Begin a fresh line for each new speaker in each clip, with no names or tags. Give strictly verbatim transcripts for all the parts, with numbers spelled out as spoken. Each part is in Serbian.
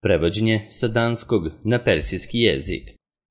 Prevođenje sa danskog na persijski jezik.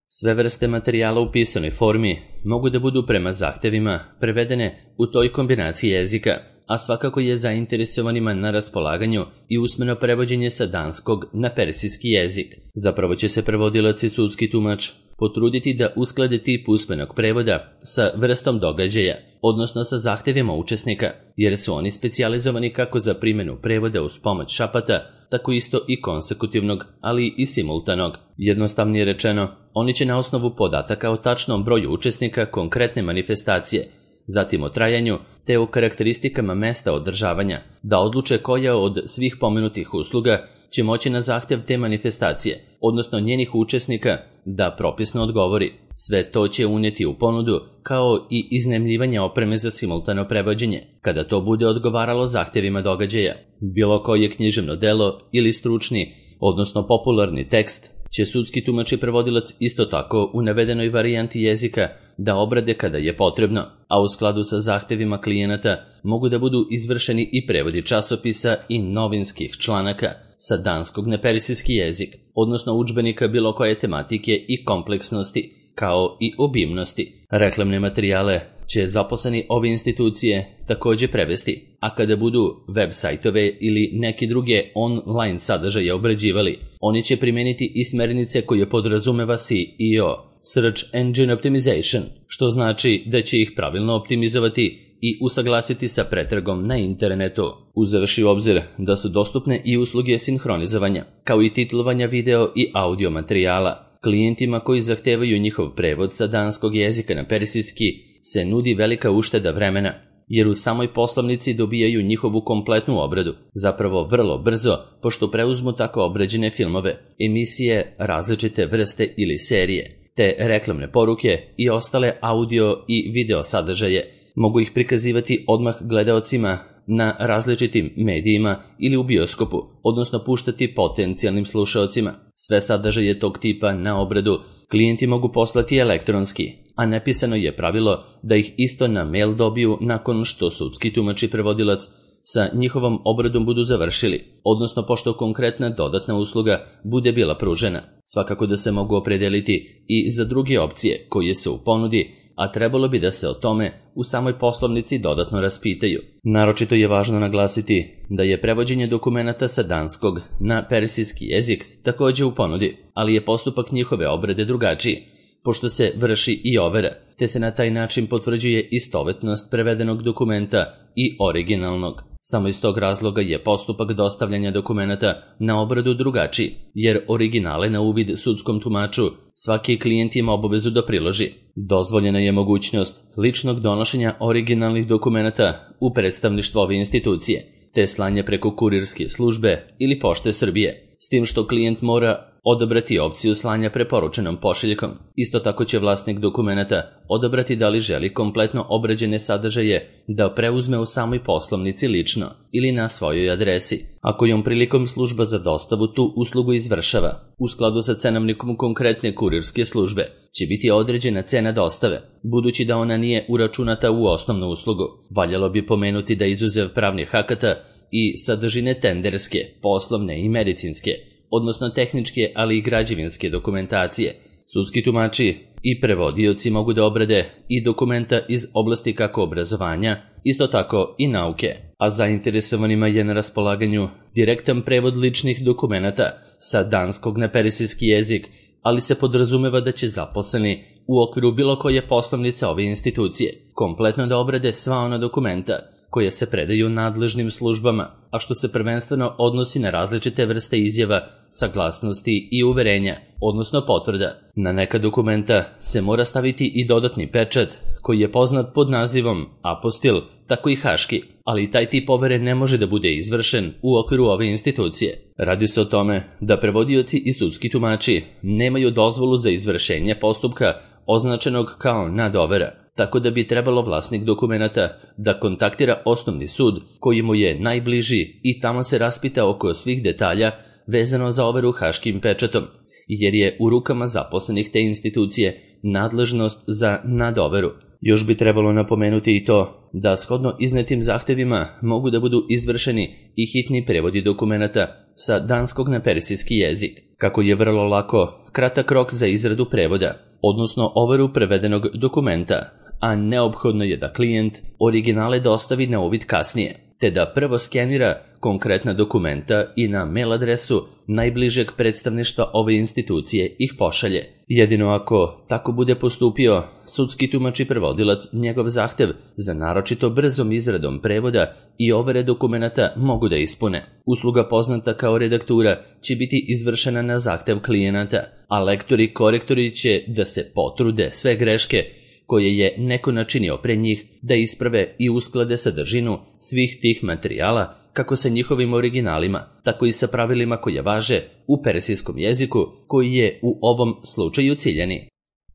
Sve vrste materijala u pisanoj formi mogu da budu prema zahtevima prevedene u toj kombinaciji jezika, a svakako je zainteresovanima na raspolaganju i usmeno prevođenje sa danskog na persijski jezik. Zapravo će se prevodilac i sudski tumač potruditi da usklade tip usmenog prevoda sa vrstom događaja, odnosno sa zahtevima učesnika, jer su oni specijalizovani kako za primjenu prevoda uz pomoć šapata, tako isto i konsekutivnog, ali i simultanog. Jednostavnije rečeno, oni će na osnovu podataka o tačnom broju učesnika konkretne manifestacije, zatim o trajanju, te o karakteristikama mesta održavanja, da odluče koja od svih pomenutih usluga će moći na zahtev te manifestacije, odnosno njenih učesnika, da propisno odgovori. Sve to će unijeti u ponudu, kao i iznajmljivanje opreme za simultano prevođenje, kada to bude odgovaralo zahtevima događaja. Bilo koje književno delo ili stručni, odnosno popularni tekst, će sudski tumač i prevodilac isto tako u navedenoj varijanti jezika da obrade kada je potrebno, a u skladu sa zahtevima klijenata mogu da budu izvršeni i prevodi časopisa i novinskih članaka sa danskog na persijski jezik, odnosno udžbenika bilo koje tematike i kompleksnosti, kao i obimnosti. Reklamne materijale će zaposleni ove institucije također prevesti, a kada budu web sajtove ili neki druge online sadržaje obrađivali, oni će primijeniti i smernice koje podrazumeva S E O, Search Engine Optimization, što znači da će ih pravilno optimizovati i usaglasiti sa pretragom na internetu. Uzevši u obzir da su dostupne i usluge sinhronizovanja, kao i titlovanja video i audio materijala, klijentima koji zahtevaju njihov prevod sa danskog jezika na persijski se nudi velika ušteda vremena, jer u samoj poslovnici dobijaju njihovu kompletnu obradu, zapravo vrlo brzo, pošto preuzmu tako obrađene filmove, emisije, različite vrste ili serije, te reklamne poruke i ostale audio i video sadržaje. Mogu ih prikazivati odmah gledaocima na različitim medijima ili u bioskopu, odnosno puštati potencijalnim slušaocima. Sve sadržaje tog tipa na obradu klijenti mogu poslati elektronski, a nepisano je pravilo da ih isto na mail dobiju nakon što sudski tumač i prevodilac sa njihovom obradom budu završili, odnosno pošto konkretna dodatna usluga bude bila pružena. Svakako da se mogu opredeliti i za druge opcije koje su u ponudi, a trebalo bi da se o tome u samoj poslovnici dodatno raspitaju. Naročito je važno naglasiti da je prevođenje dokumenata sa danskog na persijski jezik također u ponudi, ali je postupak njihove obrade drugačiji, pošto se vrši i overa, te se na taj način potvrđuje istovetnost prevedenog dokumenta i originalnog. Samo iz tog razloga je postupak dostavljanja dokumenata na obradu drugačiji, jer originale na uvid sudskom tumaču svaki klijent ima obavezu da priloži. Dozvoljena je mogućnost ličnog donošenja originalnih dokumenata u predstavništvo ove institucije, te slanje preko kurirske službe ili Pošte Srbije, s tim što klijent mora odabrati opciju slanja preporučenom pošiljkom. Isto tako će vlasnik dokumenata odabrati da li želi kompletno obrađene sadržaje da preuzme u samoj poslovnici lično ili na svojoj adresi, a kojom prilikom služba za dostavu tu uslugu izvršava. U skladu sa cenovnikom konkretne kurirske službe će biti određena cena dostave, budući da ona nije uračunata u osnovnu uslugu. Valjalo bi pomenuti da izuzev pravnih akata i sadržine tenderske, poslovne i medicinske, odnosno tehničke, ali i građevinske dokumentacije, sudski tumači i prevodioci mogu da obrade i dokumenta iz oblasti kako obrazovanja, isto tako i nauke, a zainteresovanima je na raspolaganju direktan prevod ličnih dokumenata sa danskog na persijski jezik, ali se podrazumeva da će zaposleni u okviru bilo koje poslovnice ove institucije kompletno da obrade sva ona dokumenta koje se predaju nadležnim službama, a što se prvenstveno odnosi na različite vrste izjava, saglasnosti i uverenja, odnosno potvrda. Na neka dokumenta se mora staviti i dodatni pečat, koji je poznat pod nazivom apostil, tako i haški, ali taj tip overe ne može da bude izvršen u okviru ove institucije. Radi se o tome da prevodioci i sudski tumači nemaju dozvolu za izvršenje postupka označenog kao nadovera, tako da bi trebalo vlasnik dokumenata da kontaktira osnovni sud koji mu je najbliži i tamo se raspita oko svih detalja vezano za overu haškim pečatom, jer je u rukama zaposlenih te institucije nadležnost za nadoveru. Još bi trebalo napomenuti i to da shodno iznetim zahtevima mogu da budu izvršeni i hitni prevodi dokumenata sa danskog na persijski jezik, kako je vrlo lako kratak rok za izradu prevoda, odnosno overu prevedenog dokumenta, a neophodno je da klijent originale dostavi na uvid kasnije, te da prvo skenira konkretna dokumenta i na mail adresu najbližeg predstavništva ove institucije ih pošalje. Jedino ako tako bude postupio, sudski tumač i prevodilac njegov zahtev za naročito brzom izradom prevoda i overe dokumenata mogu da ispune. Usluga poznata kao redaktura će biti izvršena na zahtev klijenata, a lektori i korektori će da se potrude sve greške koje je neko načinio pre njih da isprave i usklade sadržinu svih tih materijala kako sa njihovim originalima, tako i sa pravilima koje važe u persijskom jeziku koji je u ovom slučaju ciljani.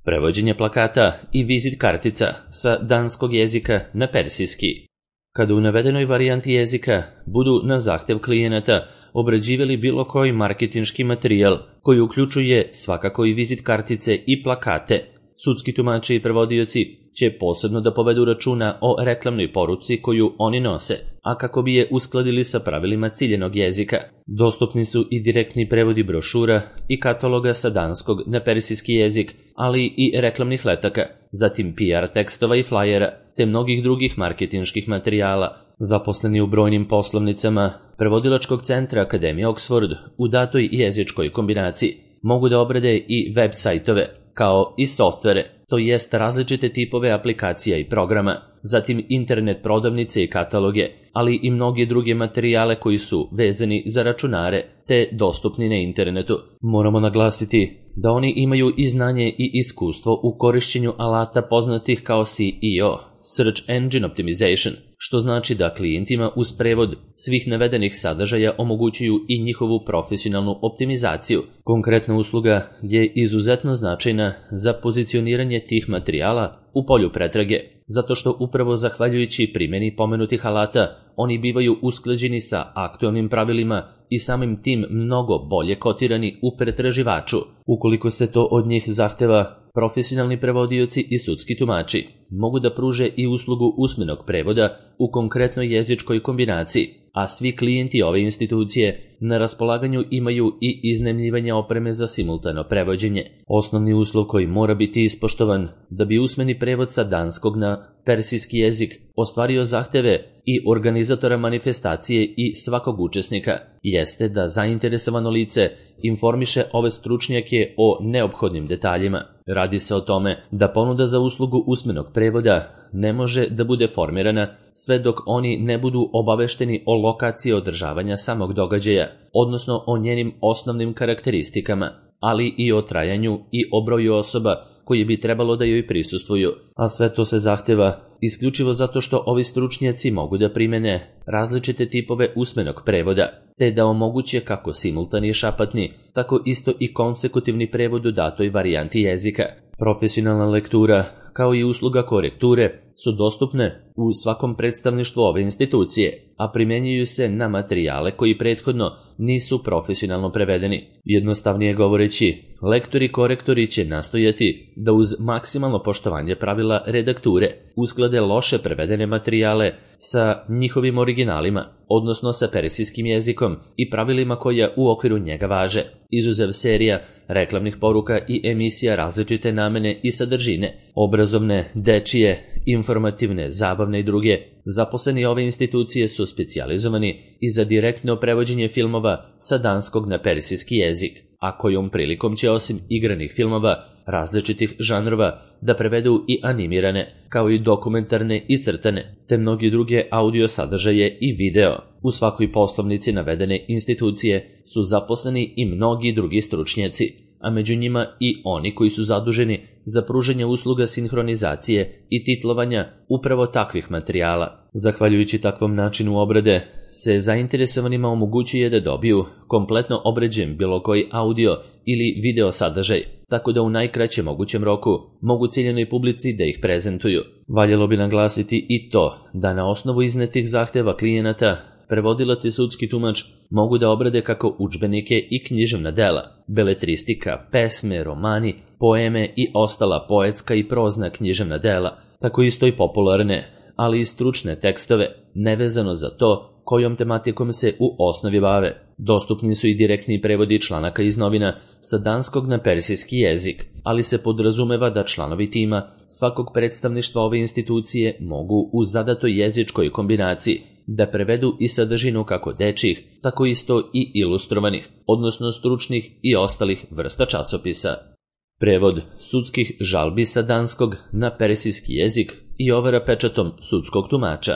Prevođenje plakata i vizit kartica sa danskog jezika na persijski. Kada u navedenoj varijanti jezika budu na zahtev klijenata obrađivali bilo koji marketinški materijal koji uključuje svakako i vizit kartice i plakate, sudski tumači i prevodioci će posebno da povedu računa o reklamnoj poruci koju oni nose, a kako bi je uskladili sa pravilima ciljenog jezika. Dostupni su i direktni prevodi brošura i kataloga sa danskog na persijski jezik, ali i reklamnih letaka, zatim P R tekstova i flajera, te mnogih drugih marketinških materijala. Zaposleni u brojnim poslovnicama prevodilačkog centra Akademije Oxford u datoj jezičkoj kombinaciji mogu da obrade i web sajtove, kao i softvere, to jest različite tipove aplikacija i programa, zatim internet prodavnice i kataloge, ali i mnoge druge materijale koji su vezani za računare te dostupni na internetu. Moramo naglasiti da oni imaju i znanje i iskustvo u korišćenju alata poznatih kao S E O, Search Engine Optimization, što znači da klijentima uz prevod svih navedenih sadržaja omogućuju i njihovu profesionalnu optimizaciju. Konkretna usluga je izuzetno značajna za pozicioniranje tih materijala u polju pretrage, zato što upravo zahvaljujući primjeni pomenutih alata oni bivaju usklađeni sa aktualnim pravilima i samim tim mnogo bolje kotirani u pretraživaču. Ukoliko se to od njih zahteva, profesionalni prevodioci i sudski tumači mogu da pruže i uslugu usmenog prevoda u konkretnoj jezičkoj kombinaciji, a svi klijenti ove institucije na raspolaganju imaju i iznajmljivanje opreme za simultano prevođenje. Osnovni uslov koji mora biti ispoštovan da bi usmeni prevod sa danskog na persijski jezik ostvario zahteve i organizatora manifestacije i svakog učesnika jeste da zainteresovano lice informiše ove stručnjake o neophodnim detaljima. Radi se o tome da ponuda za uslugu usmenog prevoda ne može da bude formirana sve dok oni ne budu obavešteni o lokaciji održavanja samog događaja, odnosno o njenim osnovnim karakteristikama, ali i o trajanju i o broju osoba koji bi trebalo da joj prisustvuju, a sve to se zahteva isključivo zato što ovi stručnjaci mogu da primene različite tipove usmenog prevoda, te da omoguće kako simultani i šapatni, tako isto i konsekutivni prevod u datoj varijanti jezika. Profesionalna lektura, kao i usluga korekture, su dostupne u svakom predstavništvu ove institucije, a primjenjuju se na materijale koji prethodno nisu profesionalno prevedeni. Jednostavnije govoreći, lektori i korektori će nastojati da uz maksimalno poštovanje pravila redakture usklade loše prevedene materijale sa njihovim originalima, odnosno sa persijskim jezikom i pravilima koja u okviru njega važe, izuzev serija reklamnih poruka i emisija različite namene i sadržine, obrazovne, dečije, informativne, zabavne i druge. Zaposleni ove institucije su specijalizovani i za direktno prevođenje filmova sa danskog na persijski jezik, a kojom prilikom će osim igranih filmova različitih žanrova da prevedu i animirane, kao i dokumentarne i crtane, te mnogi druge audio sadržaje i video. U svakoj poslovnici navedene institucije su zaposleni i mnogi drugi stručnjaci, a među njima i oni koji su zaduženi za pružanje usluga sinhronizacije i titlovanja upravo takvih materijala. Zahvaljujući takvom načinu obrade se zainteresovanima omogućuje da dobiju kompletno obrađen bilo koji audio ili video sadržaj, tako da u najkraćem mogućem roku mogu ciljenoj publici da ih prezentuju. Valjalo bi naglasiti i to da na osnovu iznetih zahteva klijenata prevodilac i sudski tumač mogu da obrade kako udžbenike i književna dela, beletristika, pesme, romani, poeme i ostala poetska i prozna književna dela, tako isto i popularne, ali i stručne tekstove, nevezano za to kojom tematikom se u osnovi bave. Dostupni su i direktni prevodi članaka iz novina sa danskog na persijski jezik, ali se podrazumeva da članovi tima svakog predstavništva ove institucije mogu u zadatoj jezičkoj kombinaciji da prevedu i sadržinu kako dečjih, tako isto i ilustrovanih, odnosno stručnih i ostalih vrsta časopisa. Prevod sudskih žalbi sa danskog na persijski jezik i overa pečatom sudskog tumača.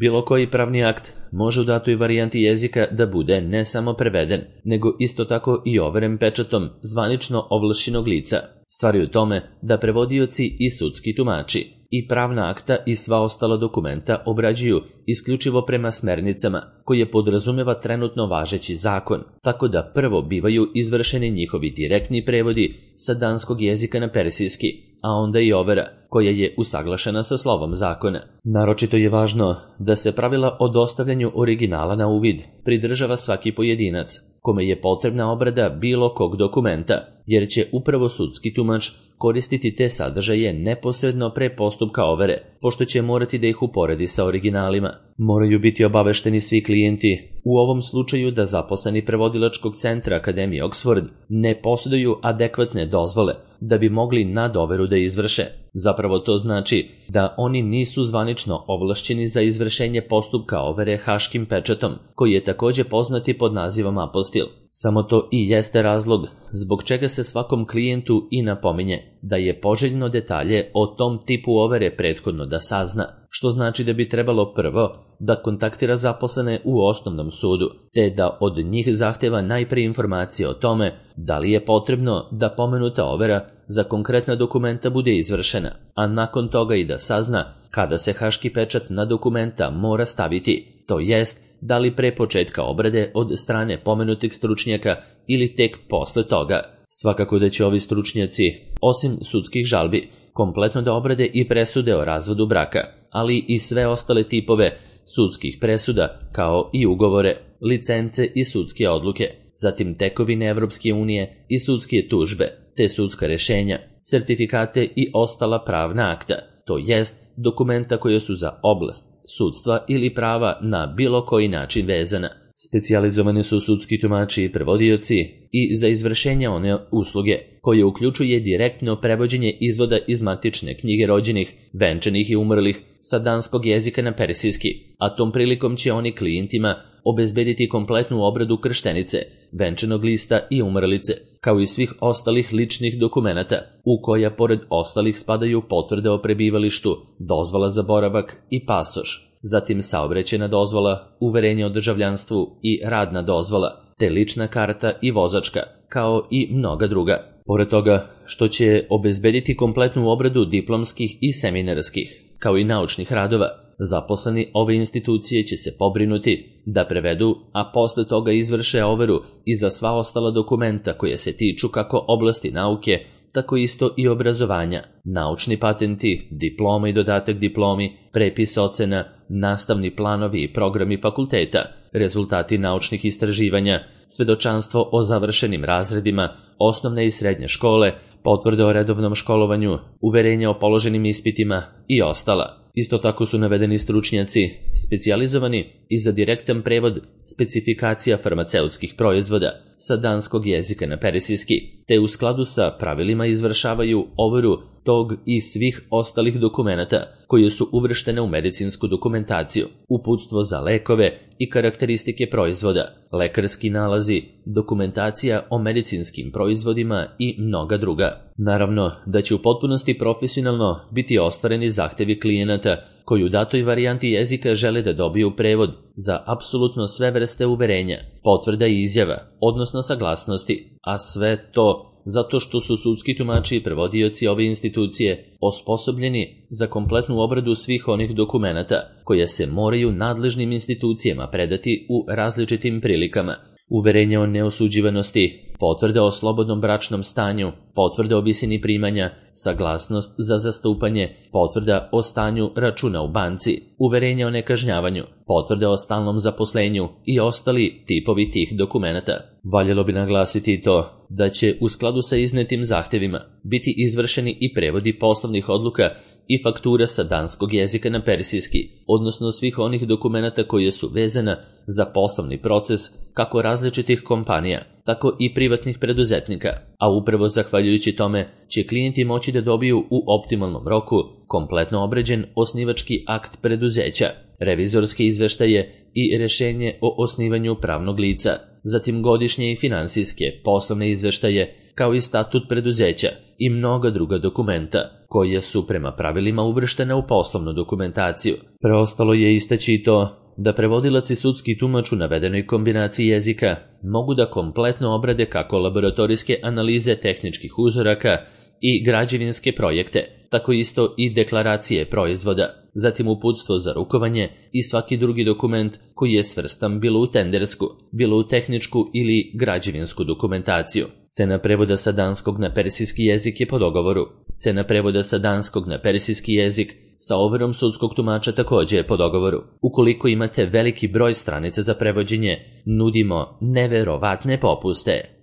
Bilo koji pravni akt može u datoj varijanti jezika da bude ne samo preveden, nego isto tako i overen pečatom zvanično ovlašćenog lica. Stvar je u tome da prevodioci i sudski tumači i pravna akta i sva ostala dokumenta obrađuju isključivo prema smernicama koje podrazumeva trenutno važeći zakon, tako da prvo bivaju izvršeni njihovi direktni prevodi sa danskog jezika na persijski, a onda i overa koja je usaglašena sa slovom zakona. Naročito je važno da se pravila o dostavljanju originala na uvid pridržava svaki pojedinac kome je potrebna obrada bilo kog dokumenta, jer će upravo sudski tumač koristiti te sadržaje neposredno pre postupka overe, pošto će morati da ih uporedi sa originalima. Moraju biti obavešteni svi klijenti, u ovom slučaju da zaposleni prevodilačkog centra Akademije Oxford ne posjeduju adekvatne dozvole da bi mogli nadoveru da izvrše. Zapravo to znači da oni nisu zvanično ovlašćeni za izvršenje postupka overe haškim pečatom, koji je takođe poznati pod nazivom apostil. Samo to i jeste razlog zbog čega se svakom klijentu i napominje da je poželjno detalje o tom tipu overe prethodno da sazna, što znači da bi trebalo prvo da kontaktira zaposlene u osnovnom sudu, te da od njih zahteva najpre informacije o tome da li je potrebno da pomenuta overa za konkretna dokumenta bude izvršena, a nakon toga i da sazna kada se haški pečat na dokumenta mora staviti, to jest da li pre početka obrade od strane pomenutih stručnjaka ili tek posle toga. Svakako da će ovi stručnjaci, osim sudskih žalbi, kompletno da obrade i presude o razvodu braka, ali i sve ostale tipove sudskih presuda, kao i ugovore, licence i sudske odluke, zatim tekovine Evropske unije i sudske tužbe, te sudska rešenja, sertifikate i ostala pravna akta, to jest dokumenta koje su za oblast sudstva ili prava na bilo koji način vezana. Specijalizovani su sudski tumači i prevodioci i za izvršenje one usluge koje uključuje direktno prevođenje izvoda iz matične knjige rođenih, venčanih i umrlih sa danskog jezika na persijski, a tom prilikom će oni klijentima obezbediti kompletnu obradu krštenice, venčanog lista i umrlice, kao i svih ostalih ličnih dokumenata, u koja pored ostalih spadaju potvrde o prebivalištu, dozvola za boravak i pasoš, zatim saobraćajna dozvola, uverenje o državljanstvu i radna dozvola, te lična karta i vozačka, kao i mnoga druga. Pored toga što će obezbediti kompletnu obradu diplomskih i seminarskih, kao i naučnih radova, zaposleni ove institucije će se pobrinuti da prevedu, a posle toga izvrše overu i za sva ostala dokumenta koje se tiču kako oblasti nauke, tako isto i obrazovanja, naučni patenti, diploma i dodatak diplomi, prepis ocena, nastavni planovi i programi fakulteta, rezultati naučnih istraživanja, svedočanstvo o završenim razredima, osnovne i srednje škole, potvrde o redovnom školovanju, uverenja o položenim ispitima i ostala. Isto tako su navedeni stručnjaci, specijalizovani i za direktan prevod specifikacija farmaceutskih proizvoda sa danskog jezika na persijski, te u skladu sa pravilima izvršavaju overu tog i svih ostalih dokumenata koje su uvrštene u medicinsku dokumentaciju, uputstvo za lekove i karakteristike proizvoda, lekarski nalazi, dokumentacija o medicinskim proizvodima i mnoga druga. Naravno da će u potpunosti profesionalno biti ostvareni zahtevi klijenata koji u datoj varijanti jezika žele da dobiju prevod za apsolutno sve vrste uverenja, potvrda i izjava, odnosno saglasnosti, a sve to zato što su sudski tumači i prevodioci ove institucije osposobljeni za kompletnu obradu svih onih dokumenata koje se moraju nadležnim institucijama predati u različitim prilikama. Uverenje o neosuđivanosti, potvrde o slobodnom bračnom stanju, potvrde o visini primanja, saglasnost za zastupanje, potvrda o stanju računa u banci, uverenje o nekažnjavanju, potvrde o stalnom zaposlenju i ostali tipovi tih dokumenata. Valjalo bi naglasiti i to da će u skladu sa iznetim zahtevima biti izvršeni i prevodi poslovnih odluka i faktura sa danskog jezika na persijski, odnosno svih onih dokumenata koje su vezana za poslovni proces kako različitih kompanija, tako i privatnih preduzetnika, a upravo zahvaljujući tome će klijenti moći da dobiju u optimalnom roku kompletno obrađen osnivački akt preduzeća, revizorske izveštaje i rešenje o osnivanju pravnog lica, zatim godišnje i finansijske poslovne izveštaje, kao i statut preduzeća i mnoga druga dokumenta, koje su prema pravilima uvrštena u poslovnu dokumentaciju. Preostalo je istaći i to da prevodilac i sudski tumač u navedenoj kombinaciji jezika mogu da kompletno obrade kako laboratorijske analize tehničkih uzoraka i građevinske projekte, tako isto i deklaracije proizvoda, zatim uputstvo za rukovanje i svaki drugi dokument koji je svrstan bilo u tendersku, bilo u tehničku ili građevinsku dokumentaciju. Cena prevoda sa danskog na persijski jezik je po dogovoru. Cena prevoda sa danskog na persijski jezik sa overom sudskog tumača također je po dogovoru. Ukoliko imate veliki broj stranica za prevođenje, nudimo neverovatne popuste.